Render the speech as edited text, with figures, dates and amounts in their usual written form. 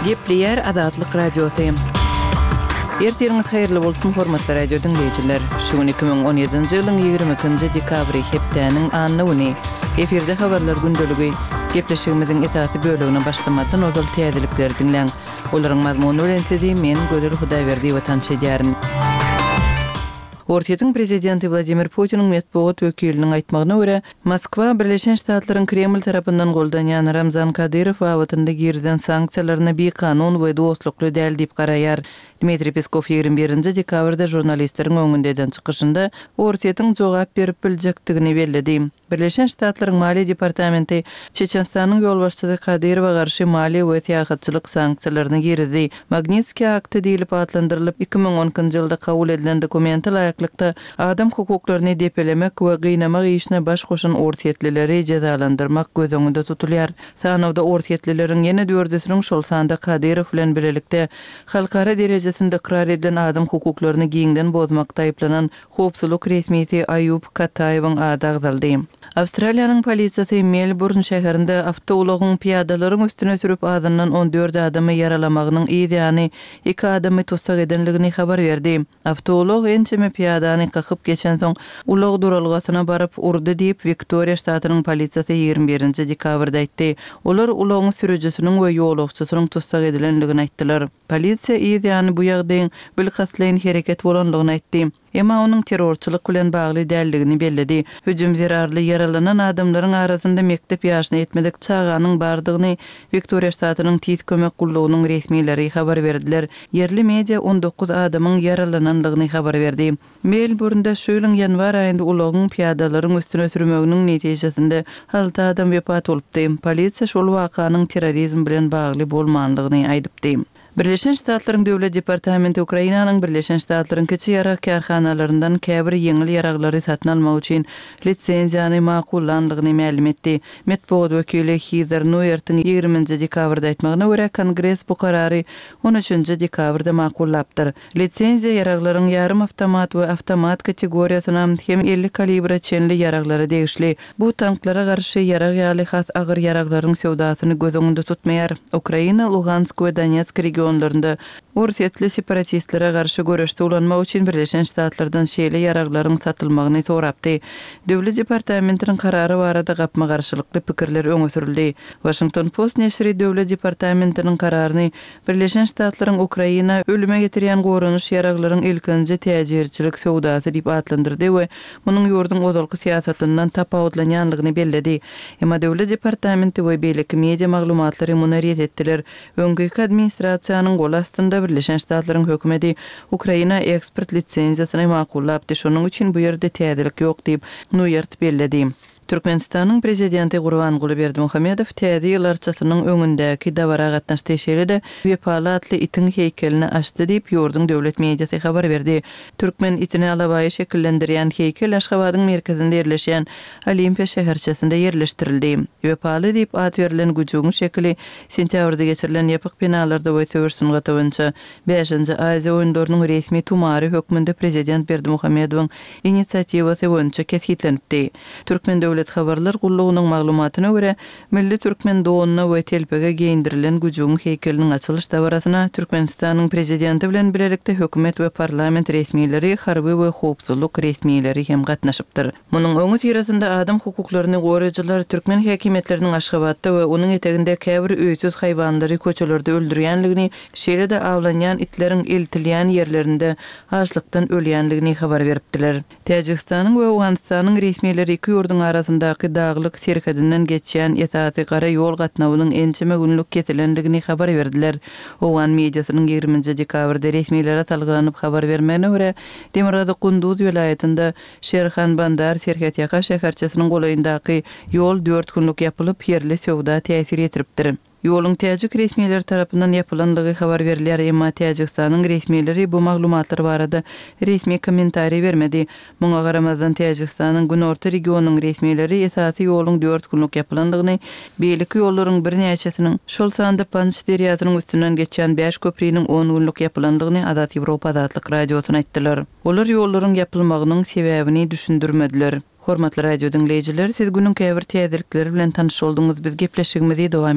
Gepleýär Azatlyk Radiosy. Ertiriňiz haýyrly bolsun, hormatly radio diňleýjiler! Şu gün 2017-nji ýylyň 22-nji dekabry, hepdäniň anna güni. Efirde habarlar gündeligi. Gepleşigimiziň esasy bölegine başlamazdan ozal täzelikleri diňläň. Olaryň mazmuny bilen sizi men, Gözel Hudaýberdiýewa tanyş edýärin. Orsýetiň prezidenti Wladimir Putiniň metbugat wekiliniň aýtmagyna görä, Moskwa Birleşen Ştatlaryň Kreml tarapyndan goldanýan Ramzan Kadyrow babatynda girizen sanksiýalaryna bikanun we dostlukly däl diýip garaýar. Dmitriý Peskow 21 nji dekabrda žurnalistleriň öňünde eden çykyşynda Orsýetiň jogap berip biljekdigini belledi. Birleşen Ştatlaryň Maliýe departamenti Çeçenistanyň ýolbaşçysy Kadyrowa garşy maliýe we syýahatçylyk sanksiýalaryny girizdi. Magnitskiý akty diýlip atlandyrylyp, 2012-nji ýylda kabul edilen dokumente laýyklykda, adam hukuklaryny depelemek we gynamak işine baş goşan orsýetlileri jezalandyrmak göz öňünde tutulýar. Sanawda orsýetlileriň ýene dördüsiniň, şol sanda Kadyrow bilen bilelikde halkara derejesinde ykrar edilen adam hukuklaryny giňden bozmakda aýyplanan Howpsuzlyk resmisi Aýub Kataýewiň ady agzaldy. Awstraliýanyň polisiýasy Melburn şäherinde awtoulagyň pyýadalaryň üstüne sürüp azyndan 14 adamy ýaralamagynyň yz ýany iki adamy tussag edenligini habar berdi. Awtoulag ençeme pyýadany kakyp geçensoň, ulag duralgasyna baryp urdy diýip, Wiktoriýa ştatynyň polisiýasy 21-nji dekabrda aýtdy. Olar ulagyň sürüjisiniň we ýolagçysynyň tussag edilenligini aýtdylar. Polisiýa yz ýany bu ýagdaýyň bilkastlaýyn hereket bolandygyny aýtdy. Emma onuň terrorçylyk bilen bagly däldigini belledi. Hüjüm zerarly ýaralanan adamlaryň arasynda mekdep ýaşyna ýetmedik çaganyň bardygyny Wiktoriýa ştatynyň Tiz kömek gullugynyň resmileri habar berdiler. Ýerli media 19 adamyň ýaralanandygyny habar berdi. Melburnda şu ýylyň ýanwar aýynda ulagyň pyýadalaryň üstüne sürmeginiň netijesinde alty adam wepat bolupdy. Polisiýa şol wakanyň terrorizm bilen bagly bolmandygyny aýdypdy. Birleşen Ştatlaryň Döwlet departamenti Ukrainanyň Birleşen Ştatlaryň kiçi ýarag kärhanalaryndan käbir ýeňil ýaraglary satyn almak üçin lisenziýany makullandygyny mälim etdi. Metbugat wekili Hizer Nuertiň 20-nji dekabrda aýtmagyna görä, Kongres bu karary on üçünji dekabrda makullapdyr. Lisenziýa ýaraglaryň ýarym awtomat we awtomat kategoriýasyna hem 50 kalibre çenli ýaraglara degişli. Bu tanklara garşy ýarag ýaly has agyr ýaraglaryň söwdasyny göz öňünde tutmaýar. Ukraina Lugansk we Donetsk regionlarynda orsýetli separatistlere garşy göreşde ulanmak üçin Birleşen Ştatlardan şeýle ýaraglaryň satylmagyny sorapdy. Döwlet departamentiniň karary barada gapma-garşylykly pikirler öňe sürüldi. Waşington Post neşiri Döwlet departamentiniň kararyny Birleşen Ştatlaryň Ukraina ölüme getirýän goranyş ýaraglaryň ilkinji täjirçilik söwdasy diýip atlandyrdy we munuň ýurduň ozalky syýasatyndan tapawutlanýanlygyny belledi. Emma Döwlet departamenti we beýleki media maglumatlary muny ret etdiler. Öňkiki administrasiýanyň goly astynda Birleşen Ştatlaryň hökümeti Ukraina eksport lisenziýasyny makullapdy, şonuň üçin bu ýerde täzelik ýok diýip, Nuýert belledi. Türkmenistanyň Prezidenti Gurbanguly Berdimuhamedow Täze ýyl arçasynyň öňündäki dabara gatnaşdy, şeýle-de Wepaly atly itiň heýkelini açdy diýip, ýurduň döwlet mediasy habar berdi. Türkmen itini alabaýy şekillendirýän heýkel Aşgabadyň merkezinde ýerleşýän Olimpiýa şäherçesinde ýerleşdirildi. Wepaly diýip at berlen güjügiň şekili sentýabrda geçirilen ýapyk binalarda we söweş sungaty boýunça Bäşinji Aziýa oýunlarynyň resmi tumary hökmünde prezident Berdimuhamedowyň inisiatiwasy boýunça kesgitlenipdi. Türkmen döwlet habarlar gullugynyň maglumatyna görä, milli türkmen donuna we telpege geýindirilen güjügiň heýkeliniň açylyş dabarasyna Türkmenistanyň Prezidenti bilen bilelikde hökümet we parlament resmileri, harby we howpsuzlyk resmileri hem gatnaşypdyr. Munuň öňüsyrasynda adam hukuklaryny goraýjylar türkmen häkimiýetleriniň Aşgabatda we onuň eteginde käbir öýsüz haýwanlary köçelerde öldürýänligini, şeýle-de awlanýan itleriň eltilýän ýerlerinde açlykdan ölýänligini habar beripdiler. Täjigistanyň we Owganystanyň resmileri iki ýurduň arasyndaky daglyk serhedinden geçýän esasy gara ýol gatnawynyň ençeme günlük kesilendigini habar berdiler. Owgan mediasynyň 20-nji dekabrda resmilere salgylanyp habar bermegine görä, demirgazyk Gunduz welaýatynda Şerhan-Bandar serhetýaka şäherçesiniň golaýyndaky ýol dört günlük ýapylyp, ýerli söwda täsir ýetiripdir. Ýoluň täjik resmileri tarapyndan ýapylandygy habar berilýär, emma Täjigistanyň resmileri bu maglumatlar barada resmi kommentariý bermedi. Muňa garamazdan, Täjigistanyň günorta regionynyň resmileri esasy ýoluň dört günlük ýapylandygyny, beýleki ýollaryň birnäçesiniň, şol sanda Panj derýasynyň üstünden geçýän bäş köpriniň on günlük ýapylandygyny Azat Ýewropa Azatlyk Radiosyna aýtdylar. Olar ýollaryň ýapylmagynyň sebäbini düşündirmediler. Hormatly radio diňleýjiler, siz günüň käbir täzelikleri bilen tanyş bolduňyz, biz gepleşigimizi dowam.